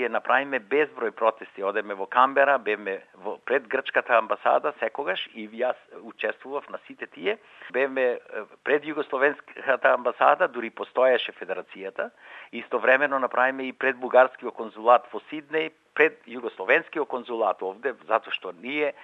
ние направиме безброј протести, одеме во Камбера, бевме пред грчката амбасада секогаш и јас учествував на сите тие, бевме пред југословенската амбасада, дури постоеше федерацијата, истовремено направиме и пред бугарскиот конзулат во Сиднеј, пред југословенскиот конзулат овде, затоа што ние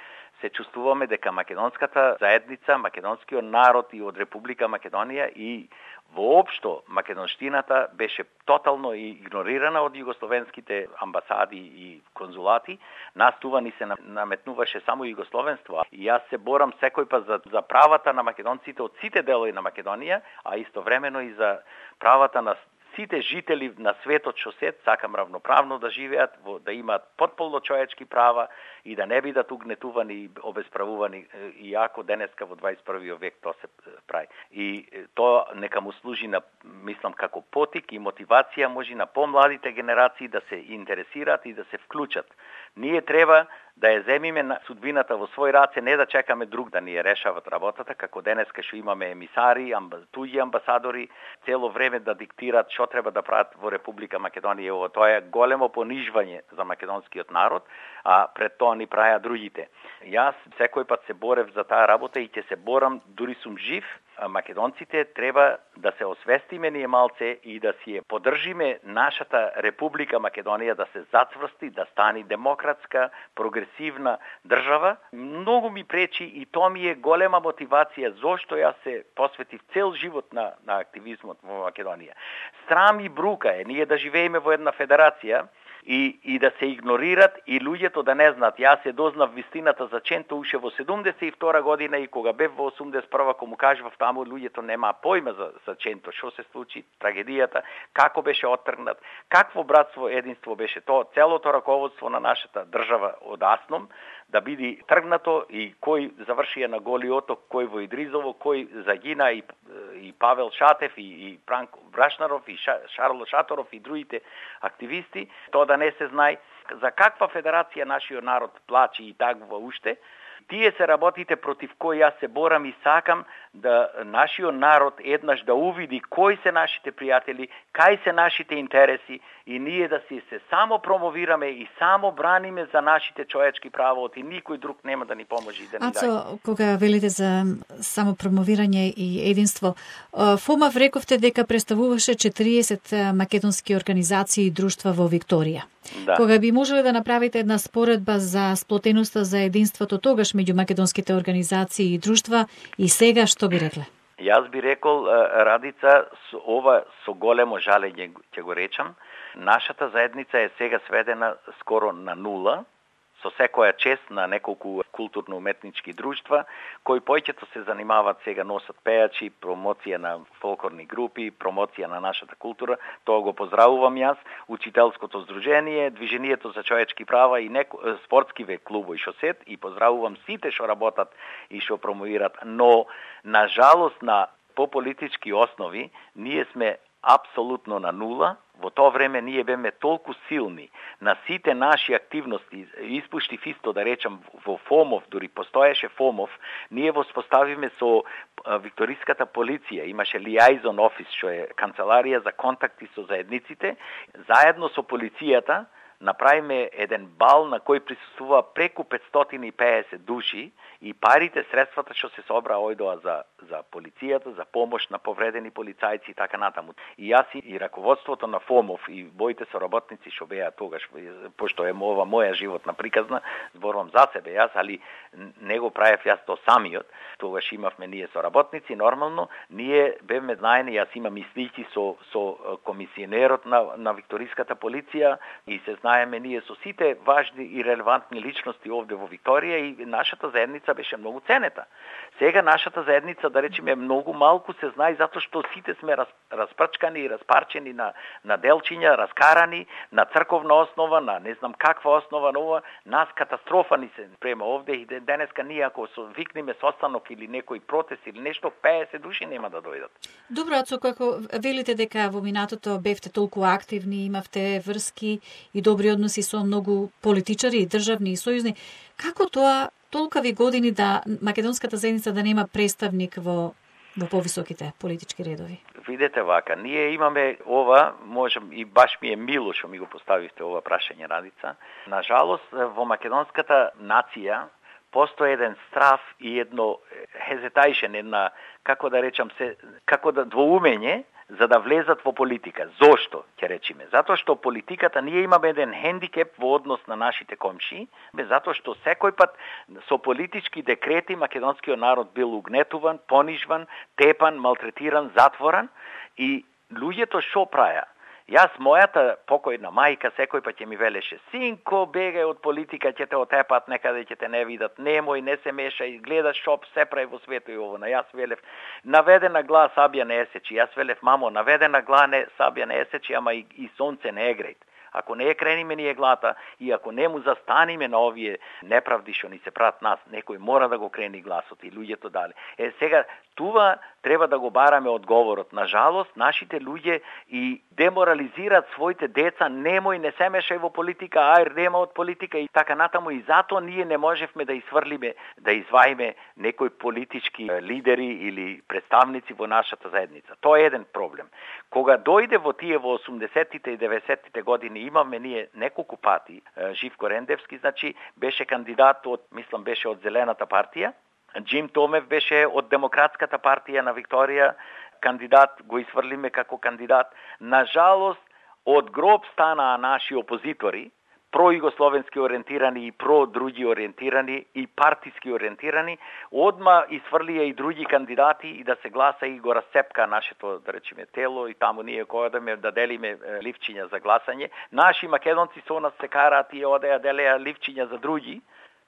се чувствуваме дека македонската заедница, македонскиот народ и од Република Македонија и воопшто македонштината беше тотално игнорирана од југословенските амбасади и конзулати. Нас това ни се наметнуваше само југословенство. И јас се борам секој пат за правата на македонците од сите делови на Македонија, а истовремено и за правата на сите жители на светот што сакам равноправно да живеат, да имаат потполно човечки права и да не бидат угнетувани и обесправувани, иако денеска во 21. век тоа се прави. И тоа нека му служи на, мислам, како потик и мотивација може на помладите генерации да се интересираат и да се вклучат. Ние треба да ја земиме на судбината во свој раце, не да чекаме друг да ни ја решават работата, како денеска што имаме емисари, туѓи амбасадори, цело време да диктираат што треба да прават во Република Македонија. Тоа е големо понижвање за македонскиот народ, а пред тоа ни праја другите. Јас секој пат се борев за таа работа и ќе се борам, дури сум жив. Македонците треба да се освестиме ние малце и да си ја поддржиме нашата Република Македонија да се зацврсти, да стане демократска, прогресивна држава. Многу ми пречи и тоа ми е голема мотивација зошто јас се посветив цел живот на активизмот во Македонија. Срам и брука е ние да живееме во една федерација и да се игнорират и луѓето да не знаат. Јас се дознав вистината за Ченто уште во 72 година и кога бев во 81 кога му кажував таму, луѓето нема појма за Ченто, што се случи, трагедијата, како беше оттргнат, какво братство, единство беше тоа, целото раководство на нашата држава од Асном, да биде тргнато и кој завршија на Голи оток, кој во Идризово, кој загина и Павел Шатев и Пранко Брашнаров и Шарло Шаторов и другите активисти, тоа да не се знае за каква федерација нашиот народ плачи и таква уште. Тие се работите против кои јас се борам и сакам да нашиот народ еднаш да увиди кои се нашите пријатели, кај се нашите интереси и ние да се само промовираме и само браниме за нашите човечки права, и никој друг нема да ни поможи да ни даде. Ацо, кога велите за само промовирање и единство, ФОМАВ рековте дека представуваше 40 македонски организации и друштва во Викторија. Да. Кога би можеле да направите една споредба за сплотеноста, за единството тогаш меѓу македонските организации и друштва и сега, што би рекле? Јас би рекол, Радица, ова со големо жалење ќе го речам, нашата заедница е сега сведена скоро на нула, со секоја чест на неколку културно-уметнички друштва, кои појќето се занимаваат сега, носат пејачи, промоција на фолклорни групи, промоција на нашата култура, тоа го поздравувам јас, Учителското здружение, Движението за човечки права и спортскиве клубови што сет, и поздравувам сите што работат и што промовират, но на жалост по политички основи ние сме апсолутно на нула. Во тоа време ние беме толку силни на сите наши активности, испуштив исто да речам во ФОМОВ, дури постоеше ФОМОВ, ние воспоставиме со Викториската полиција, имаше liaison office, што е канцеларија за контакти со заедниците, заедно со полицијата направиме еден бал на кој присуствува преку 550 души и парите, средствата што се собра ојдоа за полицијата, за помош на повредени полицајци и така натаму. И јас и раководството на ФОМОВ и боите соработници што беа тогаш, пошто е ова моја животна приказна, зборувам за себе јас, али не го правев јас то самиот. Тогаш имавме ние соработници, нормално, ние бевме знаени, јас имам и слики со комисионерот на Викториската полиција и се знаеме ние со сите важни и релевантни личности овде во Викторија и нашата заедница беше многу ценета. Сега нашата заедница, да речеме, многу малку се знае затоа што сите сме распрчкани и распарчени на делчиња, раскарани, на црковна основа, на не знам каква основа, нова, нас катастрофа ни се према овде и денеска ние ако викнеме состанок или некој протест или нешто, 50 души нема да дојдат. Добро, Ацо, како велите дека во минатото бевте толку активни, имавте врски и добри односи со многу политичари, државни и сојузни, како тоа толкави години да македонската заедница да нема представник во во повисоките политички редови? Видете вака, ние имаме ова, можем и баш ми е мило што ми го поставивте ова прашање, Радица. Нажалост, во македонската нација постои еден страв и едно hesitation, една, како да речам се, како да двоумење за да влезат во политика. Зошто, ќе речеме? Затоа што политиката, ние имаме еден хендикеп во однос на нашите комши, затоа што секој пат со политички декрети македонскиот народ бил угнетуван, понижван, тепан, малтретиран, затворан и луѓето што праја? Јас, мојата покојна мајка, секој пат ќе ми велеше: синко, бегај од политика, ќе те отепат, некаде ќе те не видат, немој, не се мешај, гледаш шо се прави во светот и ово. Јас велев, наведена глас сабја не есечи. Јас велев, мамо, наведена глас не сабја не есечи, ама и сонце не е грејт. Ако не е крениме ние глата и ако не му застаниме на овие неправди што ни се прават нас, некој мора да го крени гласот и луѓето дали. Сега, това треба да го бараме одговорот. Нажалост, нашите луѓе и деморализираат своите деца, немој, не се мешај во политика, ај, нема од политика и така натаму, и затоа ние не можевме да изврлиме, да изваиме некои политички лидери или представници во нашата заедница. Тоа е еден проблем. Кога дојде во тие во 80-тите и 90-тите години, имаме ние неколку пати, Живко Рендевски, значи, беше кандидат од, мислам, беше од Зелената партија, Джим Томев беше од Демократската партија на Викторија кандидат, го изврлиме како кандидат. Нажалост, од гроб станаа наши опозитори, пројугословенски ориентирани и про-други ориентирани и партиски ориентирани, одма изврлија и други кандидати и да се гласа и го расцепка нашето, да речеме, тело и таму ние која да делиме ливчиња за гласање. Наши македонци со нас се караат и одеа делеа ливчиња за други.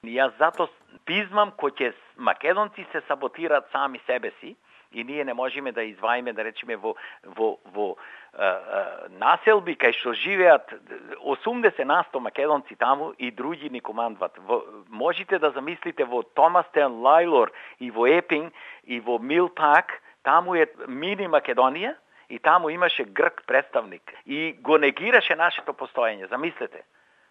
И јас зато пизмам кој ќе македонци се саботираат сами себе си и ние не можеме да изваиме, да речеме, во населби кај што живеат 80% македонци таму и други ни командват. Можете да замислите во Томастен, Лајлор и во Епинг и во Милпак, таму е мини Македонија и таму имаше грк представник и го негираше нашето постоење. Замислете.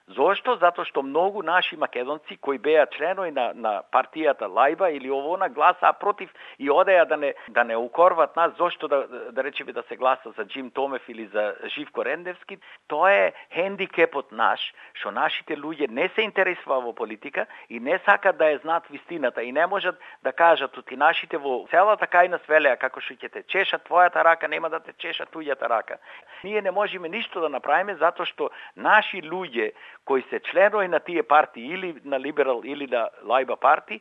Зошто? Затоа што многу наши македонци кои беа членови на партијата Лајба или овона гласаа против и одеа да не укорват нас. Зошто да речеме да се гласа за Джим Томев или за Живко Рендевски? Тоа е хендикепот наш, што нашите луѓе не се интересува во политика и не сакат да ја знаат вистината и не можат да кажат оти нашите во целата кајна свелеа како што ќе те чешат твојата рака, нема да те чешат туѓата рака. Ние не можеме ништо да направиме затоа што наши луѓе кои се членови на тие партии или на Либерал или на Лајба партии,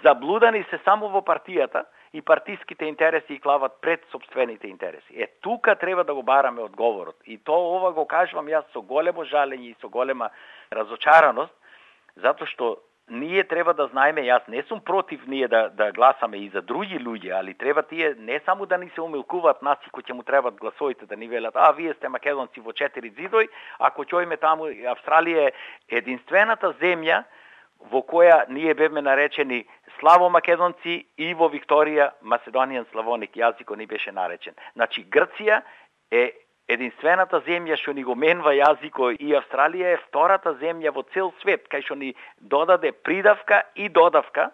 заблудани се само во партијата и партиските интереси и клават пред собствените интереси. Тука треба да го бараме одговорот. И ова го кажувам јас со големо жалење и со голема разочараност, затоа што ние треба да знаеме, јас не сум против ние да гласаме и за други луѓе, али треба тие не само да ни се умилкуваат нас и кои ќе му требат гласовите да ни велат: вие сте македонци во 4 зидој, ако ќојме таму, Австралија е единствената земја во која ние бевме наречени славомакедонци и во Викторија Macedonian Slavonic јазикот ни беше наречен. Значи Грција е единствената земја што ни го менва јазикот и Австралија е втората земја во цел свет кај што ни додаде придавка и додавка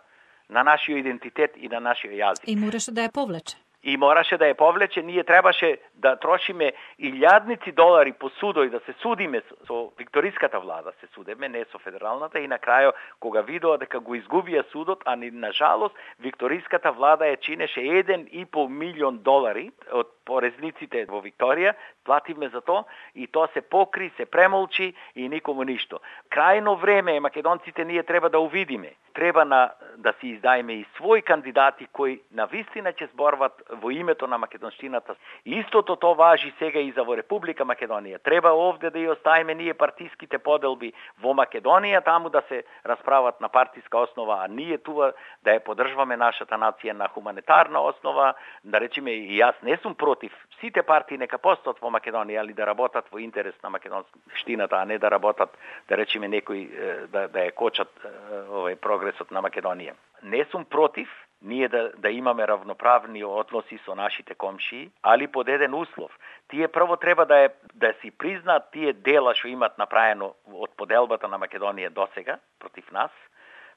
на нашиот идентитет и на нашиот јазик. И мораше да ја повлече. И мораше да ја повлече, ние требаше да трошиме илјадници долари по судој да се судиме со викториската влада, се судеме, не со федералната, и на крајот кога видоа дека го изгубија судот, а ни на жалост викториската влада ја чинеше 1,5 милион долари од порезниците во Викторија, плативме за тоа и тоа се покри, се премолчи и никому ништо. Крајно време е, македонците ние треба да увидиме. Треба да си издајме и своји кандидати кои на вистина ќе зборват во името на македонштината. Истото тоа важи сега и за во Република Македонија. Треба овде да ја оставиме ние партиските поделби во Македонија, таму да се расправат на партиска основа, а ние тука да ја поддржуваме нашата нација на хуманитарна основа. Да речеме, и јас не сум против сите партии нека постојат во Македонија, али да работат во интерес на македонштината, а не да работат, да речеме, некои да ја кочат овој прогресот на Македонија. Не сум против ние да имаме равноправни односи со нашите комшии, али под еден услов. Тие прво треба да си признаат тие дела што имат направено од поделбата на Македонија досега против нас,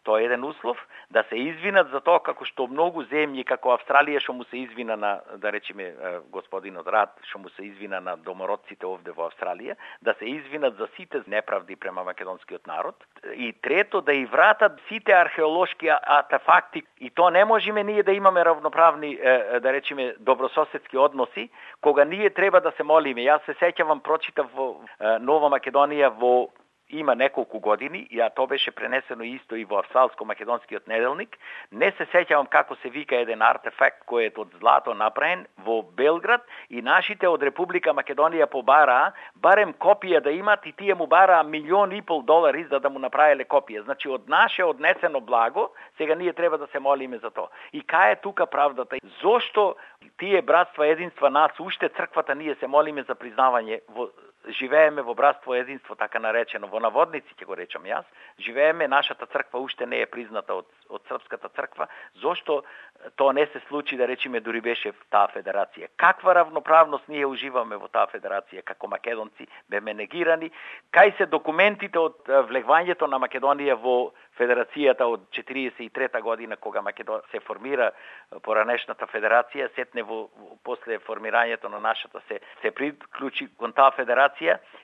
Тоа е еден услов да се извинат за тоа како што многу земји како Австралија што му се извина на, да речеме, господинот Рад, што му се извина на домородците овде во Австралија, да се извинат за сите неправди према македонскиот народ. И трето, да и вратат сите археолошки артефакти. И то не можеме ние да имаме равноправни, да речеме, добрососедски односи, кога ние треба да се молиме. Јас се сеќавам, прочитав во Нова Македонија во има неколку години, а тоа беше пренесено исто и во австралско-македонскиот неделник. Не се сеќавам како се вика еден артефакт кој е од злато направен во Белград и нашите од Република Македонија побараа барем копија да имат и тие му бараа $1,5 за да му направиле копија. Значи од наше однесено благо, сега ние треба да се молиме за тоа. И кај е тука правдата? Зошто тие братства единства нас, уште црквата ние се молиме за признавање живееме во братство единство, така наречено, во наводници ќе го речам јас, живееме, нашата црква уште не е призната од српската црква, зошто тоа не се случи, да речеме, дури беше таа федерација? Каква равноправност ние уживаме во таа федерација, како македонци, беме негирани? Кај се документите од влегувањето на Македонија во федерацијата од 43 година, кога се формира поранешната федерација, сетне после формирањето на нашата се приклучи кон таа федерација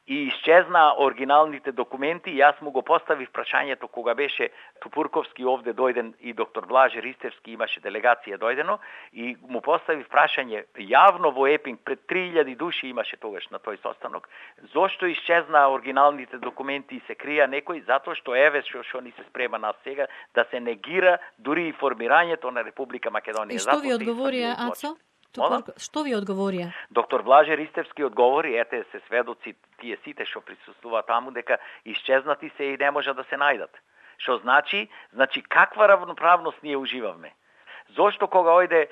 и исчезна оригиналните документи. Јас му го поставив прашањето кога беше Тупурковски овде дојден и доктор Блаже Ристевски имаше делегација дојдено и му поставив прашање јавно во Епинг, пред 3000 души имаше тогаш на тој состанок. Зошто исчезна оригиналните документи и се крија некој? Затоа што еве што ни се спрема нас сега да се негира дури и формирањето на Република Македонија. И што ви одговорија, Ацо? Што ви одговорија? Доктор Блаже Ристевски одговори, ете се сведоци тие сите што присуствуваат таму, дека исчезнати се и не може да се најдат. Што значи каква равноправност ние уживаме? Зошто кога ојде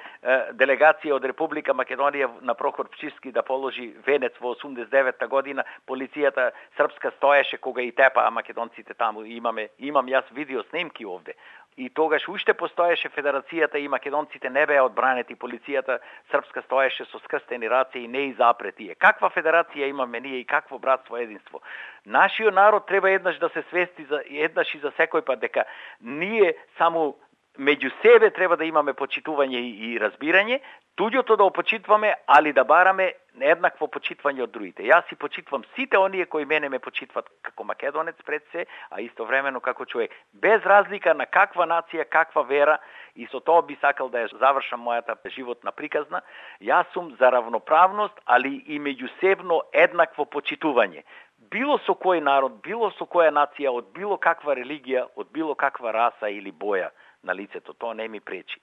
делегација од Република Македонија на Прохор Пчиски да положи венец во 89-та година, полицијата српска стоеше кога и тепаа македонците таму, имам јас видео снимки овде. И тогаш уште постоеше федерацијата и македонците не беа одбранети, полицијата српска стоеше со скрстени раце и не и запрети. Каква федерација имаме ние и какво братство единство? Нашиот народ треба еднаш да се свести еднаш и за секој пат дека ние само меѓу себе треба да имаме почитување и разбирање, туѓото да опочитваме, али да бараме еднакво почитвање од другите. Јас си почитвам сите оние кои мене ме почитват како македонец пред се, а истовремено како човек. Без разлика на каква нација, каква вера, и со тоа би сакал да ја завршам мојата животна приказна, јас сум за равноправност, али и меѓусебно еднакво почитување. Било со кој народ, било со која нација, од било каква религија, од било каква раса или боја на лицето, тоа не ми пречи.